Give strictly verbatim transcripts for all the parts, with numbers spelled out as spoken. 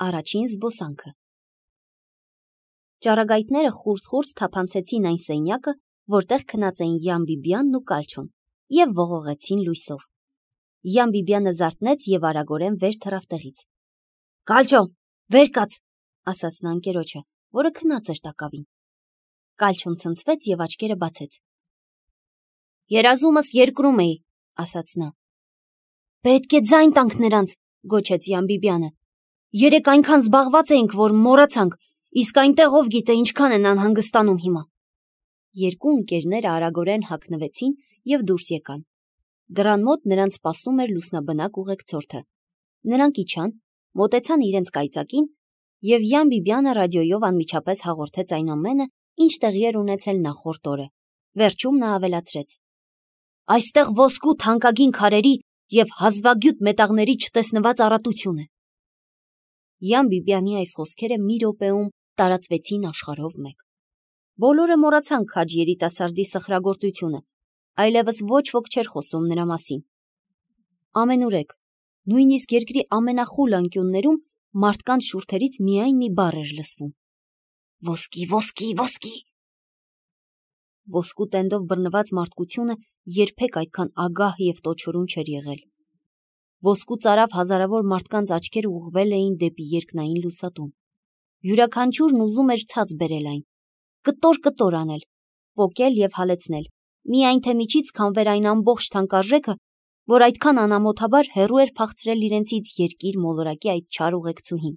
Առաջին զբոսանքը։ Ճառագայթները խուրս-խուրս թափանցեցին այն սենյակը, որտեղ քնած էին Յան Բիբիանն ու Կալչոն, և ողողեցին լույսով։ Յան Բիբիանը զարթնեց և արագորեն վեր թռավ տեղից։ «Կալչո, վեր կաց», ասաց նա ընկերոջը, որը քնած էր տակավին։ Կալչոն ցնցվեց և աչքերը բացեց։ «Երազումս երկրում էի», ասաց նա։ «Պետք է ձայն տանք նրանց», գոչեց Յան Բիբիանը։ «Երեկ այնքան զբաղված էինք, որ մոռացանք, իսկ այնտեղ ով գիտե ինչքան են անհանգստանում հիմա»։ Երկու ընկերները արագորեն հագնվեցին և դուրս եկան։ Դռան մոտ նրանց սպասում էր լուսնաբնակ ուղեկցորդը։ Նրանք իջան, մոտեցան իրենց կայծակին, և Յան Բիբիանը ռադիոյով անմիջապես հաղորդեց այն ամենը, ինչ տեղի էր ունեցել նախորդ օրը։ Վերջում նա ավելացրեց. «Այստեղ ոսկու թանկագին քարերի և հազվագյուտ մետաղների չտեսնված առատություն է»։ Յան Բիբիանի այս խոսքերը մի րոպեում տարածվեցին աշխարհով մեկ։ Բոլորը մոռացան քաջ երիտասարդի սխրագործությունը, այլևս ոչ ոք չէր խոսում նրա մասին։ Ամենուրեք, նույնիսկ երկրի ամենախուլ անկյուններում մարդկանց շուրթերից միայն մի բառ էր լսվում. «Ոսկի, ոսկի, ոսկի»։ Ոսկու տենդով բռնված մարդկությունը երբեք այդքան ագահ և տոչորուն չէր եղել։ Ոսկու ծարավ հազարավոր մարդկանց աչքերը ուղղվել էին դեպի երկնային լուսատուն։ Յուրաքանչյուրն ուզում էր ցած բերել այն, կտոր-կտոր անել, պոկել և հալեցնել, միայն թե միջից քամվեր այն ամբողջ թանկարժեքը, որ այդքան անամոթաբար հեռու էր փախցրել իրենցից երկիր մոլորակի այդ չար ուղեկցուհին։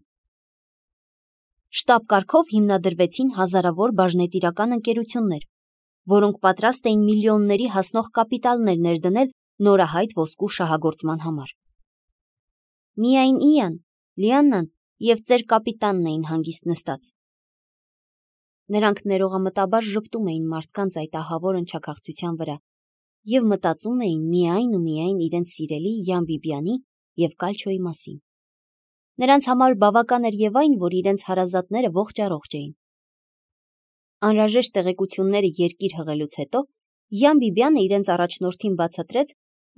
Շտապ կարգով հիմնադրվեցին հազարավոր բաժնետիրական ընկերություններ, որոնք պատրաստ էին միլիոնների հասնող կապիտալներ ներդնել նորահայտ ոսկու շահագործման համար։ Միայն Իան, Լիաննան և ծեր կապիտանն էին հանգիստ նստած։ Նրանք ներողամտաբար ժպտում էին մարդկանց այդ ահավոր ընչաքաղցության վրա և մտածում էին միայն ու միայն իրենց սիրելի Յան Բիբիանի և Կալչոյի մասին։ Նրանց համար բավական էր և այն, որ իրենց հարազատները ողջ-առողջ էին։ Անհրաժեշտ տեղեկությունները երկիր հղելուց հետո Յան Բիբիանը իրենց առաջնորդին բացատրեց,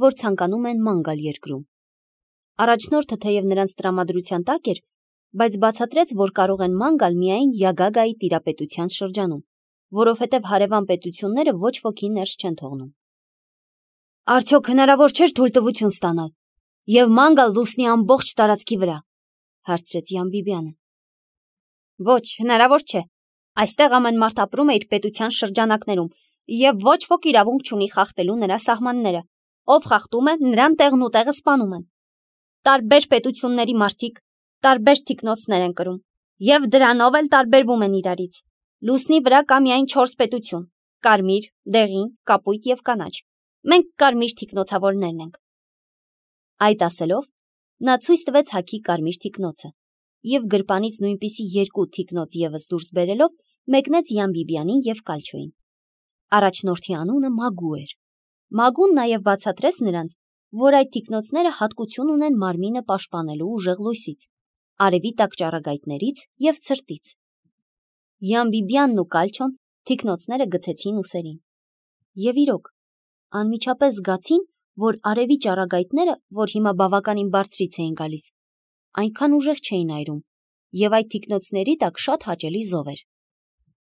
որ ցանկանում են ման գալ երկրում։ Առաջնորդը թեև նրանց տրամադրության տակ էր, բայց բացատրեց, որ կարող են ման գալ միայն Յագագայի տիրապետության շրջանում, որովհետև հարևան պետությունները ոչ ոքի ներս չեն թողնում։ Արդյոք հնարավոր չէր թույլտվություն ստանալ և ման գալ լուսնի ամբողջ տարածքի վրա, հարցրեց Յան Բիբիանը։ Ոչ, հնարավոր չէ։ Այստեղ ամեն մարդ ապրում է իր պետության շրջանակներում, և ոչ ոք իրավունք չունի խախտելու նրա սահմանները։ Ով խախտում է, նրան տեղն ու տեղը սպանում են։ Տարբեր պետությունների մարդիկ տարբեր թիկնոցներ են կրում, և դրանով էլ տարբերվում են իրարից։ Լուսնի վրա կա միայն չորս պետություն՝ կարմիր, դեղին, կապույտ և կանաչ։ Մենք կարմիր թիկնոցավորներն ենք։ Այդ ասելով, նա ցույց տվեց հագի կարմիր թիկնոցը, և գրպանից նույնպիսի երկու թիկնոց ևս դուրս բերելով մեկնեց Յան Բիբիանին և Կալչոյին։ Առաջնորդի անունը Մագու էր։ Մագուն նաև բացատրեց նրանց, որ այդ թիկնոցները հատկություն ունեն մարմինը պաշտպանելու ուժեղ լույսից, արևի տակ ճառագայթներից և ցրտից։ Յան Բիբիանն ու Կալչոն թիկնոցները գցեցին ուսերին։ Եվ իրոք, անմիջապես զգացին, որ արևի ճառագայթները, որ հիմա բավականին բարձրից էին գալիս, այնքան ուժեղ չէին այրում, և այդ թիկնոցների տակ շատ հաճելի զով էր։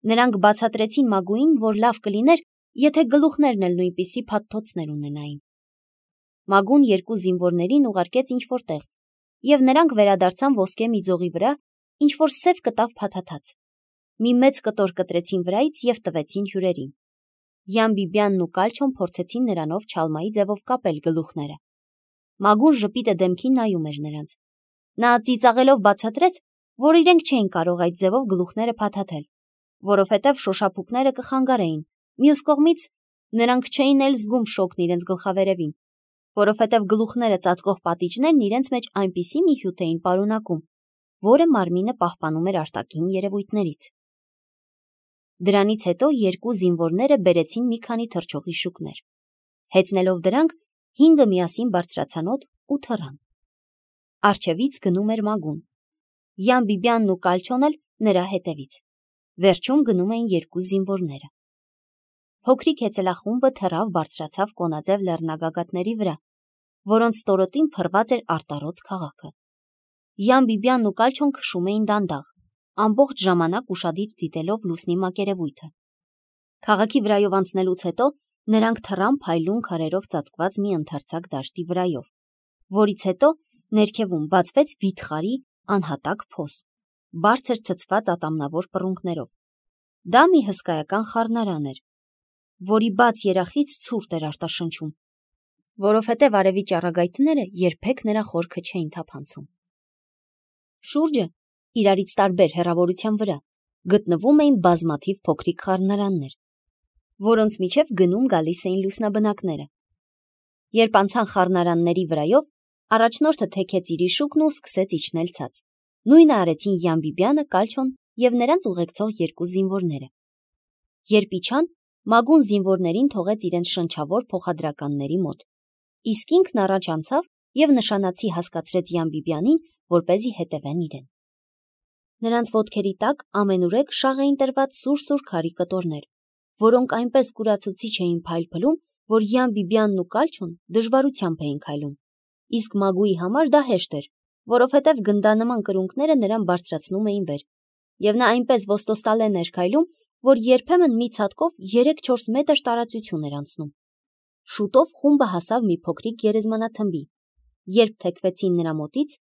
Նրանք բացատրեցին Մագուին, որ լավ կլիներ, եթե գլուխներն էլ նույնպիսի փաթթոցներ ունենային։ Մագուն երկու զինվորներին ուղարկեց ինչ-որ տեղ, և նրանք վերադարձան ոսկե մի ձողի վրա, ինչ-որ սև կտավ փաթաթած։ Մի մեծ կտոր կտրեցին վրայից և տվեցին հյուրերին։ Յան Բիբիանն ու Կալչոն փորձեցին նրանով չալմայի ձևով կապել գլուխները։ Մագուն ժպիտը դեմքին նայում էր նրանց։ Նա ծիծաղելով բացատրեց, որ իրենք չէին կարող այդ ձևով գլուխները փաթաթել, որովհետև շոշափուկները կխանգարեին, մյուս կողմից նրանք չէին էլ զգում շոկն իրենց գլխավերևին, որովհետև գլուխները ծածկող պատիճներն իրենց մեջ այնպիսի մի հյութ էին պարունակում, որը մարմինը պահպանում էր արտաքին երևույթներից։ Դրանից հետո երկու զինվորները բերեցին մի քանի թռչողի շուկներ։ Հեծնելով դրանք, հինգը միասին բարձրացան օդ ու թռան։ Առջևից գնում էր Մագուն։ Յան Բիբիանն ու Կալչոն էլ նրա հետևից։ Վերջում գնում էին երկու զինվորները։ Փոքրիկ հեծելախումբը թռավ բարձրացավ կոնաձև լեռնագագաթների վրա, որոնց ստորոտին փռված էր արտառոց քաղաքը։ Յան Բիբյանն ու Կալչոն քշում էին դանդաղ, ամբողջ ժամանակ ուշադիր դիտելով լուսնի մակերևույթը։ Քաղաքի վրայով անցնելուց հետո նրանք թռան փայլուն քարերով ծածկված մի ընդարձակ դաշտի վրայով, որից հետո ներքևում բացվեց վիթխարի անհատակ փոս, բարձր ցցված ատամնավոր պռունգներով։ Դա մի հսկայական խառնարան էր, որի բաց երախից ցուրտ էր արտաշնչում, որովհետև արևի ճառագայթները երբեք նրա խորքը չէին թափանցում։ Շուրջը, իրարից տարբեր հեռավորության վրա, գտնվում էին բազմաթիվ փոքրիկ խառնարաններ, որոնց միջև գնում գալիս էին լուսնաբնակները։ Երբ անցան խառնարանների վրայով, առաջնորդը թեքեց իր իշուկն ու սկսեց իջնել ցած։ Նույնը արեցին Յան Բիբյանը, Կալչոն և նրանց ուղեկցող երկու զինվորները։ Երբ իջան, Մագուն զինվորներին թողեց իրենց շնչավոր փոխադրականների մոտ, իսկ ինքն առաջ անցավ և նշանացի հասկացրեց Յան Բիբյանին, որպեսզի հետևեն իրեն։ Նրանց ոտքերի տակ ամենուրեք շաղ էին տրված սուր-սուր քարի կտորներ, որոնք այնպես կուրացուցիչ էին փայլփլում, որ Յան Բիբյանն ու Կալչոն դժվարությամբ էին քայլում, իսկ Մագուի համար դա հեշտ էր, որովհետև գնդանման կրունկները նրան բարձրացնում էին վեր, և նա այնպես ոստոստալեն էր քայլում, որ երբեմն մի ցատկով երեք-չորս մետր տարածություն էր անցնում։ Շուտով խումբը հասավ մի փոքրիկ գերեզմանաթմբի։ Երբ թեքվեցին նրա մոտից,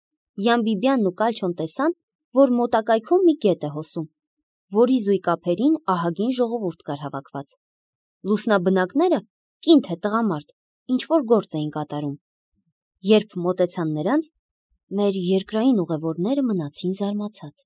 Յան Բիբյանն ու Կալչոն տեսան, որ մոտակայքում մի գետ է հոսում, որի զույգ ափերին ահագին ժողովուրդ կար հավաքված։ Լուսնաբնակները, կին թե տղամարդ, ինչ-որ գործ էին կատարում։ Երբ մոտեցան նրանց, մեր երկրային ուղևորները մնացին զարմացած։